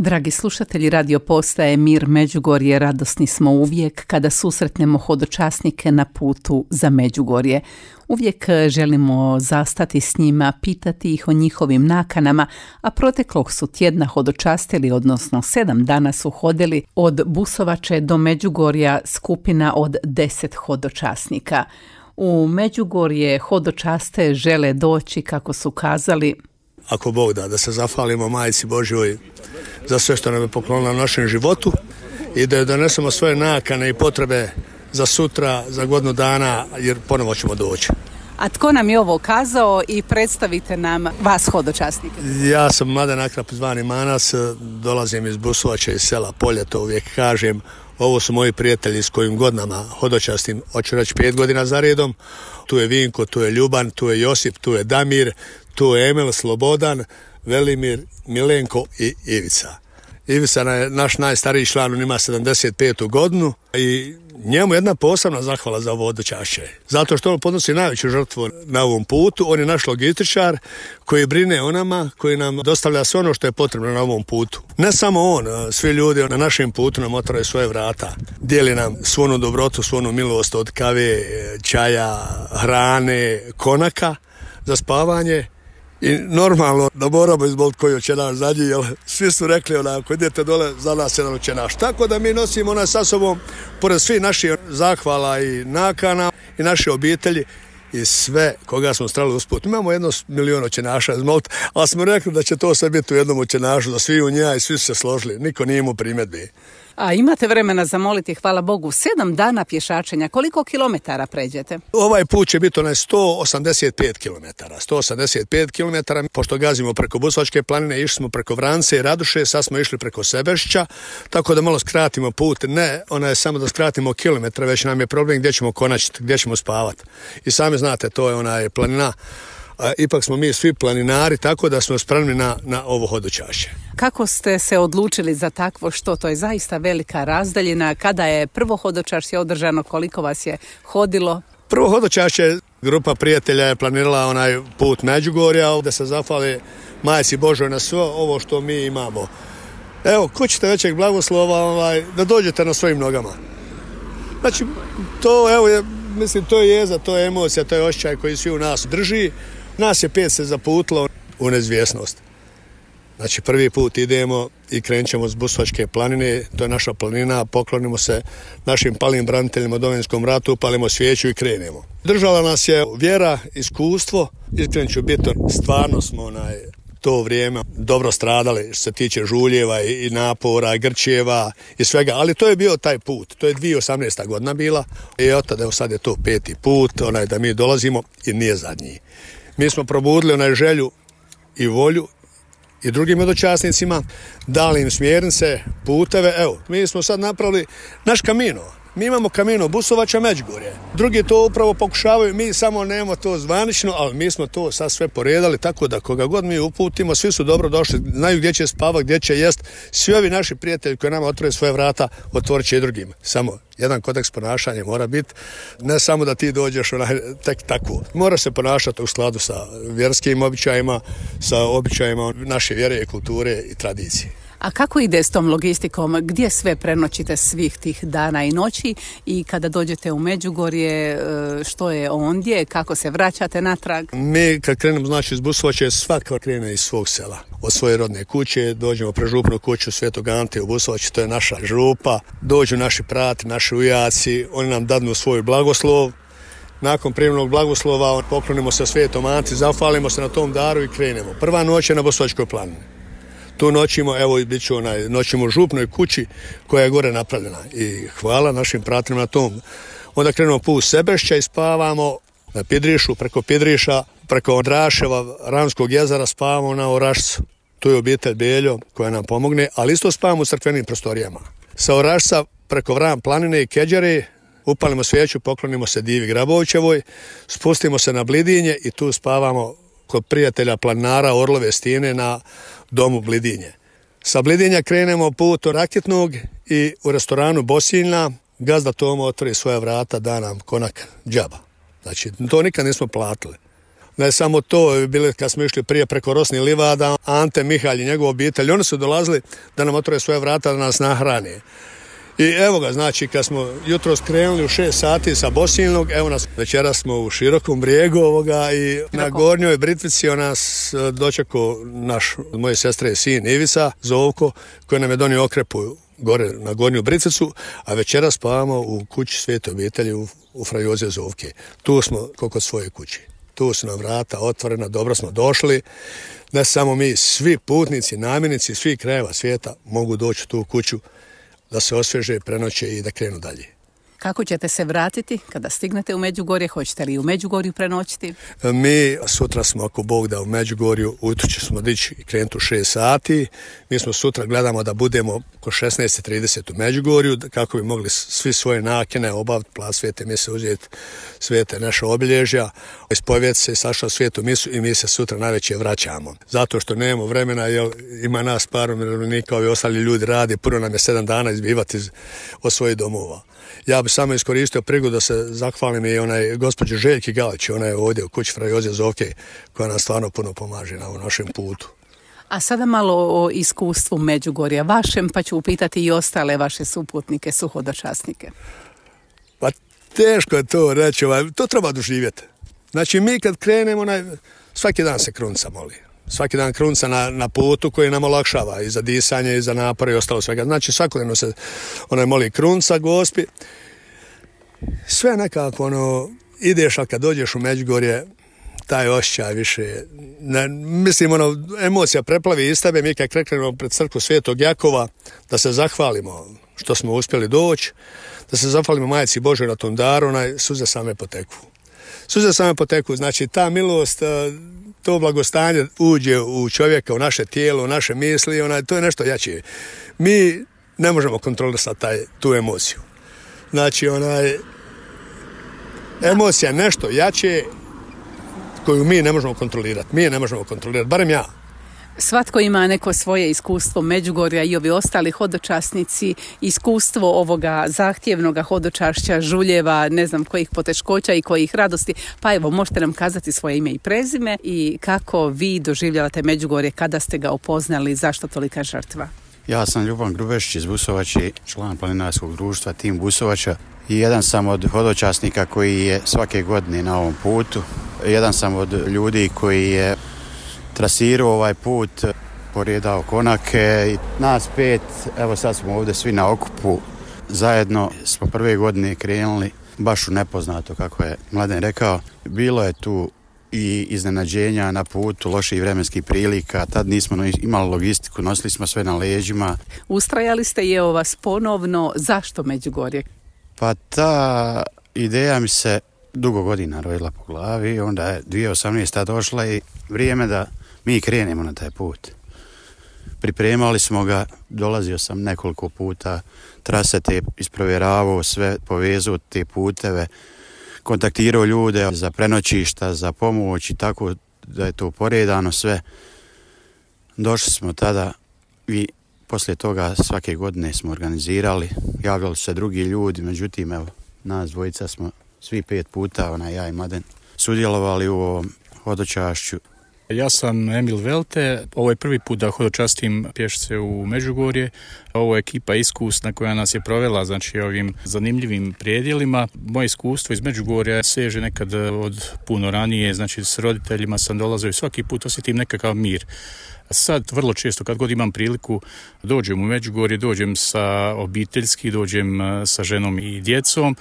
Dragi slušatelji radio postaje Mir Međugorje, radosni smo uvijek kada susretnemo hodočasnike na putu za Međugorje. Uvijek želimo zastati s njima, pitati ih o njihovim nakanama, a proteklog su tjedna hodočastili, odnosno 7 dana su hodili od Busovače do Međugorja skupina od 10 hodočasnika. U Međugorje hodočaste žele doći, kako su kazali, ako Bog da se zahvalimo Majci Božjoj za sve što nam je poklonila u našem životu i da joj donesemo svoje nakane i potrebe za sutra, za godinu dana, jer ponovo ćemo doći. A tko nam je ovo kazao i predstavite nam vas hodočasnike? Ja sam Mladen Akrap zvani Manas, dolazim iz Busovača, iz sela Polje, to uvijek kažem. Ovo su moji prijatelji s kojim godinama hodočastim, hoću reći 5 godina za redom. Tu je Vinko, tu je Ljuban, tu je Josip, tu je Damir, tu je Emil, Slobodan, Velimir, Milenko i Ivica. Ivica je naš najstariji član, on ima 75. godinu i njemu jedna posebna zahvala za ovo hodočašće. Zato što on podnosi najveću žrtvu na ovom putu. On je naš logističar koji brine o nama, koji nam dostavlja sve ono što je potrebno na ovom putu. Ne samo on, svi ljudi na našem putu nam otvaraju svoje vrata. Dijeli nam svu onu dobrotu, svu onu milost od kave, čaja, hrane, konaka za spavanje. I normalno da moramo izboliti koji očenaš zadnji, jer svi su rekli ako idete dole za nas jedan očenaš. Tako da mi nosimo onaj sa sobom, pored svih naših zahvala i nakana i naše obitelji i sve koga smo strali usput. Imamo 1 milion očenaša izmoliti, ali smo rekli da će to sve biti u jednom očenašu, da svi u njega i svi su se složili. Niko nije imao primjedbi. A imate vremena zamoliti, hvala Bogu, 7 dana pješačenja. Koliko kilometara pređete? Ovaj put će biti 185 kilometara. 185 kilometara, pošto gazimo preko Busovačke planine, išli smo preko Vrance i Raduše, sad smo išli preko Sebešća, tako da malo skratimo put. Ne, je samo da skratimo kilometre, već nam je problem gdje ćemo konačiti, gdje ćemo spavati. I sami znate, to je planina. Ipak smo mi svi planinari, tako da smo spremni na ovo hodočašće. Kako ste se odlučili za takvo što? To je zaista velika razdaljina. Kada je prvo hodočašće održano, koliko vas je hodilo? Prvo hodočašće, grupa prijatelja je planirala onaj put Međugorja, da se zahvali Majci Božoj na sve ovo što mi imamo. Evo, ko ćete većeg blagoslova da dođete na svojim nogama. Znači, to je jeza, to je emocija, to je osjećaj koji svi u nas drži. Nas je 5 se zaputilo u neizvjesnost. Znači, prvi put idemo i krenut ćemo s Busovačke planine, to je naša planina, poklonimo se našim palim braniteljima u Domovinskom ratu, palimo svijeću i krenemo. Držala nas je vjera, iskustvo, iskren ću biti, stvarno smo to vrijeme dobro stradali što se tiče žuljeva i napora, grčeva i svega, ali to je bio taj put, to je 2018. godina bila i od tada sad je to 5. put, da mi dolazimo i nije zadnji. Mi smo probudili želju i volju i drugim hodočasnicima, dali im smjernice, puteve. Evo, mi smo sad napravili naš kamino. Mi imamo kamino Busovača Međugorje. Drugi to upravo pokušavaju, mi samo nemamo to zvanično, ali mi smo to sad sve poredali, tako da koga god mi uputimo, svi su dobro došli, znaju gdje će spavati, gdje će jest. Svi ovi naši prijatelji koji nama otvore svoje vrata, otvorit će i drugim. Samo jedan kodeks ponašanja mora biti, ne samo da ti dođeš tek tako. Mora se ponašati u skladu sa vjerskim običajima, sa običajima naše vjere, kulture i tradicije. A kako ide s tom logistikom? Gdje sve prenoćite svih tih dana i noći i kada dođete u Međugorje, što je ondje, kako se vraćate natrag? Mi kad krenemo iz Busovače, svaka krene iz svog sela. Od svoje rodne kuće, dođemo pre župnu kuću Svetog Ante u Busovači, to je naša župa. Dođu naši prati, naši ujaci, oni nam dadnu svoj blagoslov. Nakon primljenog blagoslova poklonimo se Svetom Anti, zahvalimo se na tom daru i krenemo. Prva noć je na Busovačkoj planini. Tu noćimo, bit ću noćimo u župnoj kući koja je gore napravljena i hvala našim pratima na tom. Onda krenemo put Sebešća i spavamo na Pidrišu, preko Pidriša, preko Odraševa, Ramskog jezera spavamo na Orašcu. Tu je obitelj Beljo koja nam pomogne, ali isto spavamo u crkvenim prostorijama. Sa Orašca preko Vran planine i Keđere upalimo svijeću, poklonimo se Divi Grabovićevoj, spustimo se na Blidinje i tu spavamo kod prijatelja planinara Orlove stijene na domu Blidinje. Sa Blidinja krenemo put do Rakitnog i u restoranu Bosiljna gazda Tomo otvori svoja vrata, da nam konak džaba. Znači, to nikad nismo platili. Ne samo to, bili kad smo išli prije preko Rosnih livada, Ante Mihalj i njegova obitelj, oni su dolazili da nam otvore svoje vrata, da nas nahrane. I evo ga, znači, kad smo jutro skrenuli u 6 sati sa Bosilnog, evo nas, večeras smo u Širokom Brijegu i na Gornjoj Britvici nas dočekao naš, moje sestre sin Ivica Zovko, koji nam je donio okrepu gore na Gornju Britvicu, a večeras spavamo u kući Svete obitelji u Fra Joze Zovke. Tu smo kod svoje kući. Tu su nam vrata otvorena, dobro smo došli. Ne samo mi, svi putnici, namjernici, svi krajeva svijeta mogu doći u tu kuću da se osvježe, prenoće i da krenu dalje. Kako ćete se vratiti kada stignete u Međugorje? Hoćete li u Međugorju prenoćiti? Mi sutra smo, ako Bog da, u Međugorju, ujutro ćemo dići i krenuti u 6 sati. Mi smo sutra, gledamo da budemo oko 16:30 u Međugorju, kako bi mogli svi svoje nakene obaviti, plac Svete mise, uzeti svete naše obilježja, ispovjedati se, sašao Svetu misu i mi se sutra najveće vraćamo. Zato što nemamo vremena, jer ima nas par umirovljenika, ovi ostali ljudi radi, puno nam je 7 dana izbivati od svojih domova. Ja bih samo iskoristio prigodu da se zahvalim i gospođi Željki Galić, ona je ovdje u kući Fra Joze Zovke, koja nam stvarno puno pomaže na ovom našem putu. A sada malo o iskustvu Međugorja vašem, pa ću upitati i ostale vaše suputnike, suhodočasnike. Pa teško je to reći, to treba doživjeti. Znači mi kad krenemo, svaki dan se krunca moli. Svaki dan krunca na putu koji nam olakšava i za disanje i za napor i ostalo svega. Znači svakodnevno se moli krunca Gospi. Sve nekako ideš, ali kad dođeš u Međugorje, taj osjećaj više, mislim emocija preplavi iz tebe. Mi kad krenemo pred crkvu Svetog Jakova, da se zahvalimo što smo uspjeli doći, da se zahvalimo Majci Božoj na tom daru, suze same poteku. Suze same poteku, znači ta milost, to blagostanje uđe u čovjeka, u naše tijelo, u naše misli, to je nešto jače. Mi ne možemo kontrolisati tu emociju. Znači, emocija nešto jače koju mi ne možemo kontrolirati. Mi je ne možemo kontrolirati, barem ja. Svatko ima neko svoje iskustvo Međugorja i ovi ostali hodočasnici, iskustvo ovoga zahtjevnog hodočašća, žuljeva, ne znam kojih poteškoća i kojih radosti. Pa evo, možete nam kazati svoje ime i prezime i kako vi doživljavate Međugorje, kada ste ga upoznali, zašto tolika žrtva? Ja sam Ljuban Grubešić iz Busovače, član planinarskog društva Tim Busovača i jedan sam od hodočasnika koji je svake godine na ovom putu. Jedan sam od ljudi koji je trasirao ovaj put, porijedao konake i nas 5, evo sad smo ovdje svi na okupu. Zajedno smo prve godine krenuli baš u nepoznato, kako je Mladen rekao. Bilo je tu i iznenađenja na putu, loših vremenskih prilika, tad nismo imali logistiku, nosili smo sve na leđima. Ustrajali ste i evo vas ponovno, zašto Međugorje? Pa ta ideja mi se dugo godina rojila po glavi, onda je 2018. došla i vrijeme da mi krenemo na taj put. Pripremali smo ga, dolazio sam nekoliko puta, trase te isprovjeravao, sve povezao te puteve, kontaktirao ljude za prenoćišta, za pomoć i tako da je to poredano sve. Došli smo tada i poslije toga svake godine smo organizirali, javljali se drugi ljudi, međutim evo, nas dvojica smo svi 5 puta, ja i Mladen, sudjelovali u ovom hodočašću. Ja sam Emil Velte, ovo je prvi put da hodočastim pješce u Međugorje. Ovo je ekipa iskusna koja nas je provela, znači ovim zanimljivim predjelima. Moje iskustvo iz Međugorja seže nekad od puno ranije, znači s roditeljima sam dolazio i svaki put osjetim nekakav mir. Sad vrlo često kad god imam priliku dođem u Međugorje, dođem sa obiteljski, dođem sa ženom i djecom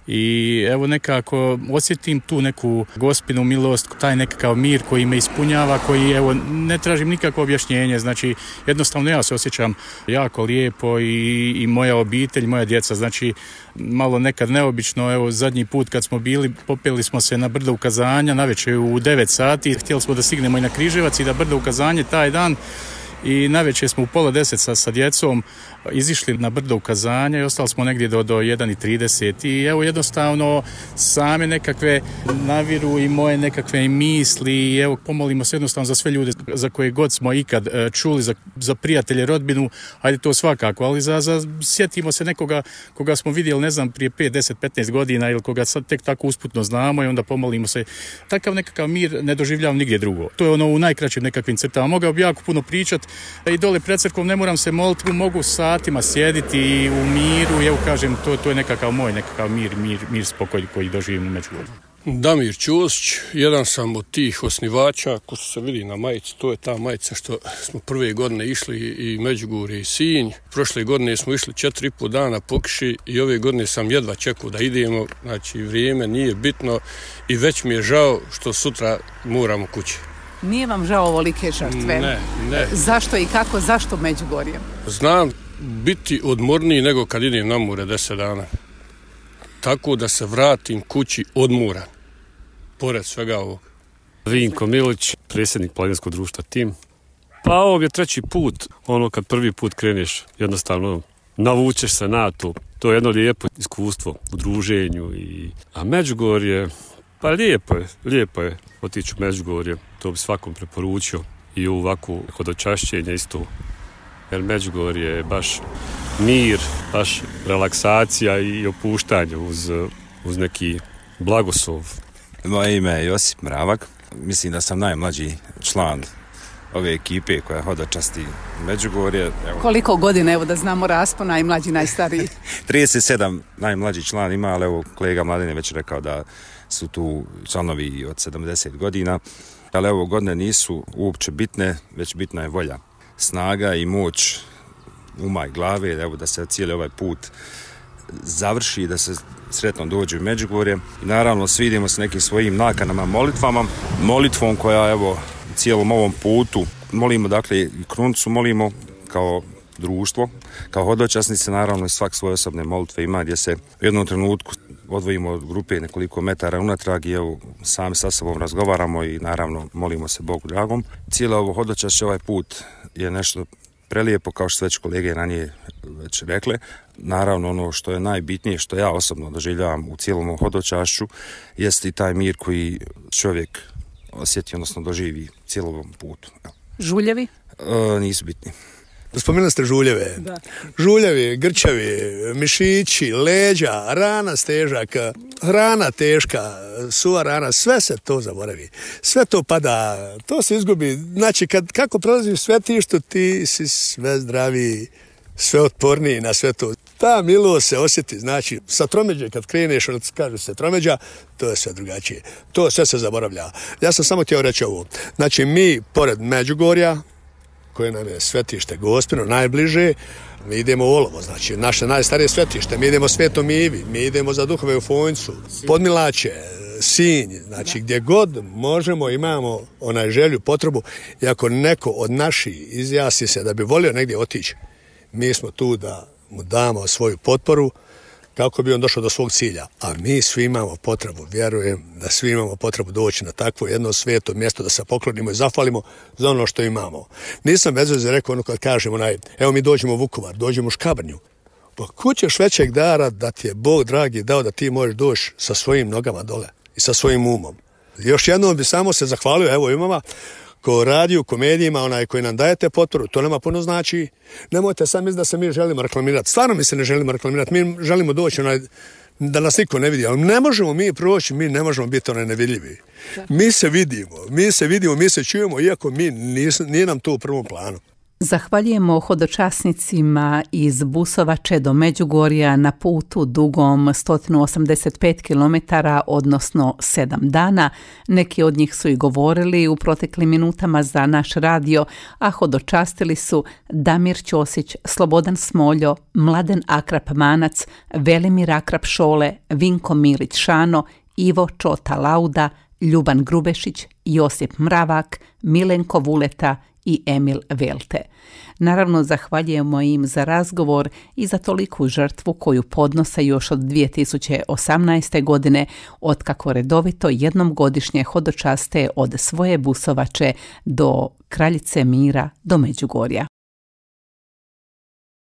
i evo nekako osjetim tu neku Gospinu milost, taj nekakav mir koji me ispunjava, koji evo ne tražim nikakvo objašnjenje, znači jednostavno ja se osjećam jako lijepo i moja obitelj, moja djeca, znači malo nekad neobično, evo zadnji put kad smo bili, popeli smo se na brdo ukazanja, navečer u 9 sati, htjeli smo da stignemo i na Križevac i da brdo ukazanje taj dan i navečer smo u 9:30 sa djecom izišli na brdo ukazanja i ostali smo negdje do 1:30 i evo jednostavno same nekakve naviru i moje nekakve misli i evo pomolimo se jednostavno za sve ljude za koje god smo ikad čuli, za prijatelje, rodbinu, ajde to svakako, ali sjetimo se nekoga koga smo vidjeli, ne znam, prije 5, 10, 15 godina ili koga sad tek tako usputno znamo i onda pomolimo se. Takav nekakav mir ne doživljavam nigdje drugo. To je ono u najkraćim nekakvim crtama. Mogao bi jako puno pričati i dole pred crkvom ne moram se moliti, mogu satima sjediti u miru i evo kažem, to je nekakav moj mir spokoj koji doživim u Međugorju. Damir Ćosić, jedan sam od tih osnivača, ko se vidi na majici, to je ta majica što smo prve godine išli i Međugorje i Sinj. Prošle godine smo išli 4,5 dana po kiši i ove godine sam jedva čekao da idemo, znači vrijeme nije bitno i već mi je žao što sutra moramo kući. Nije vam žao ovolike žrtve? Ne. Zašto i kako, zašto Međugorje? Znam biti odmorniji nego kad idem na more 10 dana. Tako da se vratim kući odmoran. Pored svega ovog. Vinko Milić, predsjednik planinskog društva Tim. Pa ovo je 3. put, kad prvi put kreneš, jednostavno navučeš se na to. To je jedno lijepo iskustvo u druženju. A Međugorje, pa lijepo je otići u Međugorje. To bi svakom preporučio i u ovakvu hodočašćenje isto. Jer Međugorje je baš mir, baš relaksacija i opuštanje uz neki blagoslov. Moje ime je Josip Mravak. Mislim da sam najmlađi član ove ekipe koja hodočasti Međugorje. Evo. Koliko godina, evo da znamo raspon, najmlađi, najstariji? 37 najmlađi član ima, ali evo kolega Mladen je već rekao da su tu članovi od 70 godina. Ali evo godine nisu uopće bitne, već bitna je volja, snaga i moć uma i glave, evo da se cijeli ovaj put završi, da se sretno dođe u Međugorje. I naravno svidimo se nekim svojim nakanama, molitvom koja evo u cijelom ovom putu molimo, dakle i krunicu molimo kao društvo, kao hodočasnici, naravno i svak svoje osobne molitve ima gdje se u jednom trenutku odvojimo od grupe nekoliko metara unatrag i evo sami sa sobom razgovaramo i naravno molimo se Bogu dragom. Cijelo ovo hodočašće, ovaj put je nešto prelijepo, kao što već kolege ranije već rekle. Naravno ono što je najbitnije, što ja osobno doživljavam u cijelom hodočašću, jest i taj mir koji čovjek osjeti, odnosno doživi cijelom putu. Žuljevi? Nisu bitni. Spomenuli ste žuljeve. Da. Žuljevi, grčevi, mišići, leđa, rana stežak, hrana teška, suva rana, sve se to zaboravi. Sve to pada, to se izgubi. Znači, kako prolaziš svetištu, ti si sve zdraviji, sve otporniji na sve to. Ta milost se osjeti, znači, sa tromeđe kad kreneš, onda kaže se tromeđa, to je sve drugačije. To sve se zaboravlja. Ja sam samo htio reći ovo. Znači, mi, pored Međugorja, koje nam je svetište Gospino najbliže, mi idemo u Olovo, znači naše najstarije svetište, mi idemo Svetom Ivi, mi idemo za Duhove u Fonjcu, Podmilače, Sinj, znači gdje god možemo imamo onaj želju, potrebu, i ako neko od naših izjasni se da bi volio negdje otići, mi smo tu da mu damo svoju potporu kako bi on došao do svog cilja. A mi svi imamo potrebu, vjerujem da svi imamo potrebu doći na takvo jedno sveto mjesto da se poklonimo i zahvalimo za ono što imamo. Nisam bez veze rekao ono kad kažem evo mi dođemo u Vukovar, dođemo u Škabrnju. Pa kućeš većeg dara da ti je Bog dragi dao da ti možeš doći sa svojim nogama dole i sa svojim umom. Još jednom bi samo se zahvalio, evo imama, ko radi u komedijima, koji nam dajete potporu, to nama puno znači. Nemojte sam misliti da se mi želimo reklamirati. Stvarno mi se ne želimo reklamirati. Mi želimo doći da nas niko ne vidi. Ali ne možemo mi proći, mi ne možemo biti nevidljivi. Mi se vidimo, mi se čujemo, iako nije nam to u prvom planu. Zahvaljujemo hodočasnicima iz Busovače do Međugorja na putu dugom 185 km, odnosno 7 dana. Neki od njih su i govorili u proteklim minutama za naš radio, a hodočastili su Damir Ćosić, Slobodan Smoljo, Mladen Akrap Manac, Velimir Akrap Šole, Vinko Milić Šano, Ivo Čota Lauda, Ljuban Grubešić, Josip Mravak, Milenko Vuleta i Emil Velte. Naravno, zahvaljujemo im za razgovor i za toliku žrtvu koju podnose još od 2018. godine, otkako redovito jednom godišnje hodočaste od svoje Busovače do Kraljice Mira do Međugorja.